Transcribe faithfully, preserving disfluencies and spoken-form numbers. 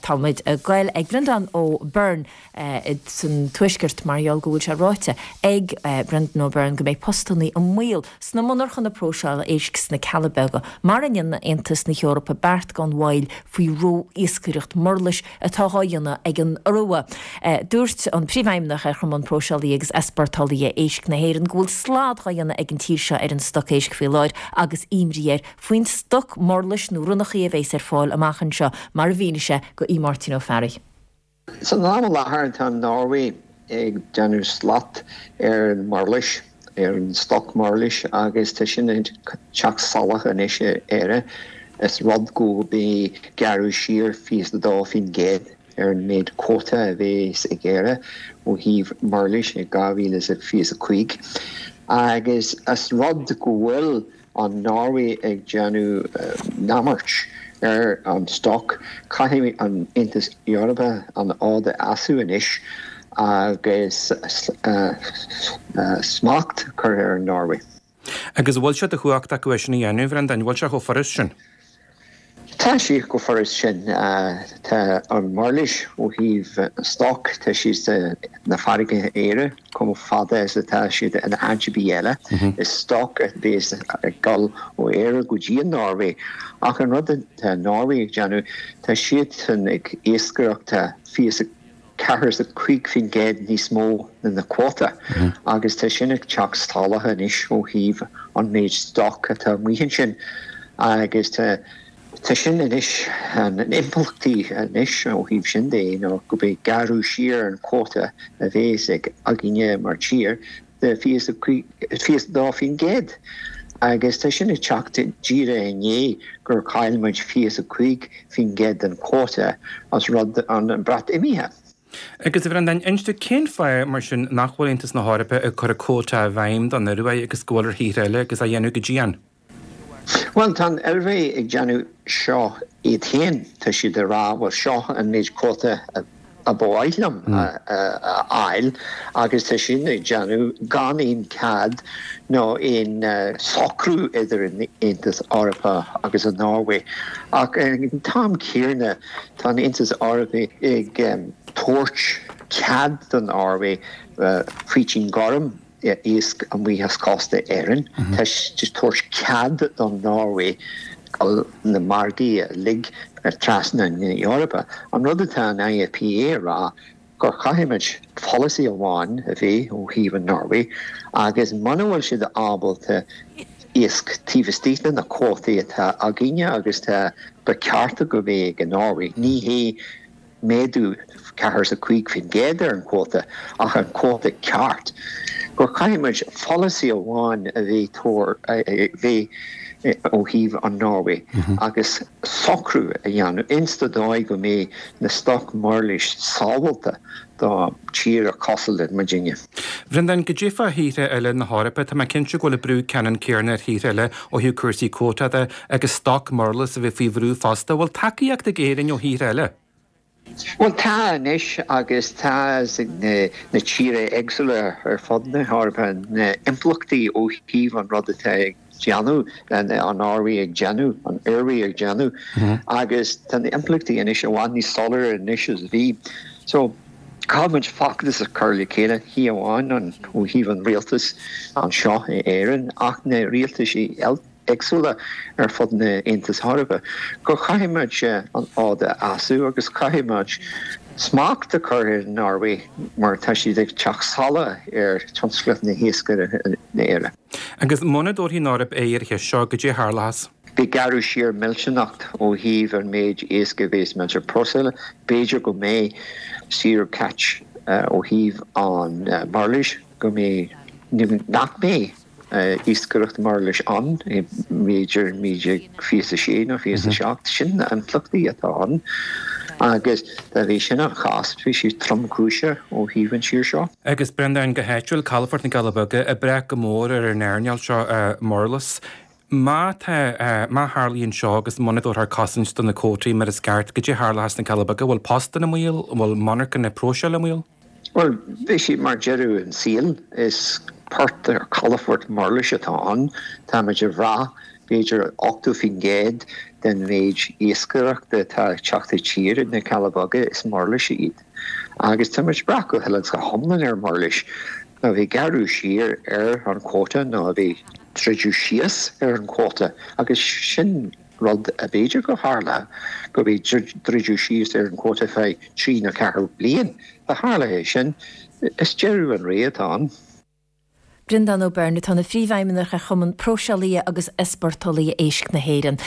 Táimid ag goil ag Brendan O'Byrne san tuaisceart mar gheall go bhfuil sé ráite ag Brendan O'Byrne go mbeidh postanna i mbaol sna monarchana próiseála éisc sna Cealla Beaga, mura ndéanann Aontas na hEorpa beart gan mhoill faoi ró-iascaireacht murlais atá á dhéanamh ag an Iorua. Dúirt an príomhfheidhmeannach ar Chumann Próiseálaithe agus Easpórtálaithe Éisc na hÉireann go bhfuil slad á dhéanamh ag an tír seo ar an stoc éisc faoi láthair agus imní air faoin stoc murlais nó ronnachaí a bheas ar fáil amach anseo mar a mhínigh sé go Aodh Máirtín Ó Fearraigh. San am i láthair tá Norway ag déanamh slat ar an murlais ar an stoc murlais agus tá sin ag teacht salach anois Éire is rud go mbeidh gearradh siar fiche dó faoin gcéad ar an méid quota a bheas ag Éire ó thaobh murlais i dhá mhíle is fiche a cúig. Agus is rud go bhfuil an Norway ag déanamh neamart ar an stoc, caithfidh an Aontas Eorpach an fhód a sheasamh anois agus smacht cur ar an Norway. Agus bhfuil sé de chumhacht acu é sin a dhéanamh, Bhrendan, bhfuil sé chomh furast sin? Tá sé chomh furast sin tá an murlais ó thaobh stoc tá siad na farraige Éire chomh fada is atá siad in áit ar bith eile. Is stoc a bheas ag dul ó Éire go dtí an Norway ach an rud atá Norway ag déanamh tá siad ag iascaireacht fiche ceathair is a cúig faoin gcéad níos mó na na quota agus tá sin ag teacht salach anois ó thaobh an méid stoc atá amuigh ansin agus tá Tá sin anois an impleachtaí anois ó thaobh sin de nó go mbeidh gearradh siar an quota a bheas ag againne mar tír de fiche dó faoin gcéad. Agus tá sin ag teacht díreach i ndiaidh gur chaill muid fiche a cúig faoin gcéad den quota as rud an Breatimeacht. Agus a Bhrendáin, inis dom cén fáth mar sin nach bhfuil Aontas na hEorpa ag cur a quota i bhfeidhm don Iorua agus go bhfuil ar thíortha eile agus á dhéanamh go dian. Well tá an Iorua ag déanamh seo iad féin tá siad ag rá bhuel seo an méid quota a ba mhaith liom a fháil agus tá sin ag déanamh gan aon cead nó aon socrú idir an Aontas Eorpach agus an Norway. Ach an t-am céanna tá an Aontas Eorpach ag tabhairt cead don Norway faoitín gorm iasc amuigh as cósta Éireann. Tá siad tabhairt cead don Norway na margaí a lig trasna na Eorpa. An rud atá an IFPA rá gur chaithfimid policy amháin a bheith ó thaobh an Norway agus muna bhfuil siad ábalta iasc taobh istigh de na cuótaí atá againne agus tá ba ceart go bheith ag an Norway. Ní hé méadú ceathair is a cúig faoin gcéad ar an quota ach an quota ceart. Gur chaithfimid policy amháin a bheith bheith ó thaobh an Norway agus socrú a dhéanamh insta dóigh go mbeidh na stoc murlais sábháilte do tír cosúil le muidinne. Bhrendan, goidé fá thíortha eile na hEorpa tá mé cinnte go bhfuil brú ceannann céanna ar thíortha eile ó thaobh cúrsaí quota de agus stoc murlas a bheith faoi bhrú fosta, bhfuil tacaíocht ag Éirinn ó thíortha eile. Well tá anois agus tá na, na tíortha éagsúla ar fud na hEorpa na impleachtaí ó thaobh an rud atá ag déanamh an Norway ag déanamh an Iorua ag déanamh agus tá na impleachtaí anois i bhfad níos soiléire anois is bhí. So caithfimid feachtas a chur le chéile ní amháin an ó thaobh an rialtas anseo in Éirinn ach na rialtais éagsúla ar fud na Aontas Eorpach, gur chaithfimid an fhód a sheasamh agus caithfimid smacht a chur ar Norway mar tá siad ag teacht salach ar tionscal na hiascaire na Éire. Agus muna dtabharfaidh an Eoraip aghaidh ar an cheist seo goidé a tharlós. Beidh gearradh siar millteanach ó thaobh an méid iasc a bheas muid ag próiseáil, b'fhéidir go mbeidh zero catch ó thaobh an murlais go mbeidh nach mbeidh iascaireacht murlais ann b'fhéidir naoi déag fiche a sé nó fiche a seacht sin na impleachtaí atá ann agus dá bhí sin an chás bhí sé tromchúiseach ó thaobh an tír seo. Agus Brendan go háitiúil Calafort na gCealla Beaga ag brath go mór ar an earnáil seo murlas. Má tá má tharlaíonn seo agus muna dtabharfar cosaint do na cuótaí mar is ceart, goidé a tharlós sna Cealla Beaga, bhfuil postanna i mbaol, bhfuil monarchana próiseála i mbaol? Well bhí sé mar deireadh an saol is port ar calafort murlais atá ann, Táimid ag brath b'fhéidir ochtó faoin gcéad den mhéid iascaireachta atá ag teacht i dtír na Cealla Beaga is murlais iad. Agus tá muid ag brath go huile is go hiomlán ar mhurlais. Nó bhí gearradh siar ar an quota nó bhí druideadh síos ar an quota agus sin rud a b'fhéidir go tharla go bhí druideadh síos ar an quota feadh trí nó ceathair bliain. Dá tharla é sin is deireadh an ré atá ann. Breandán Ó Beirn atá ina phríomhfheidhmeannach ar Chumann Próiseálaithe agus Easpórtálaithe Éisc na hÉireann.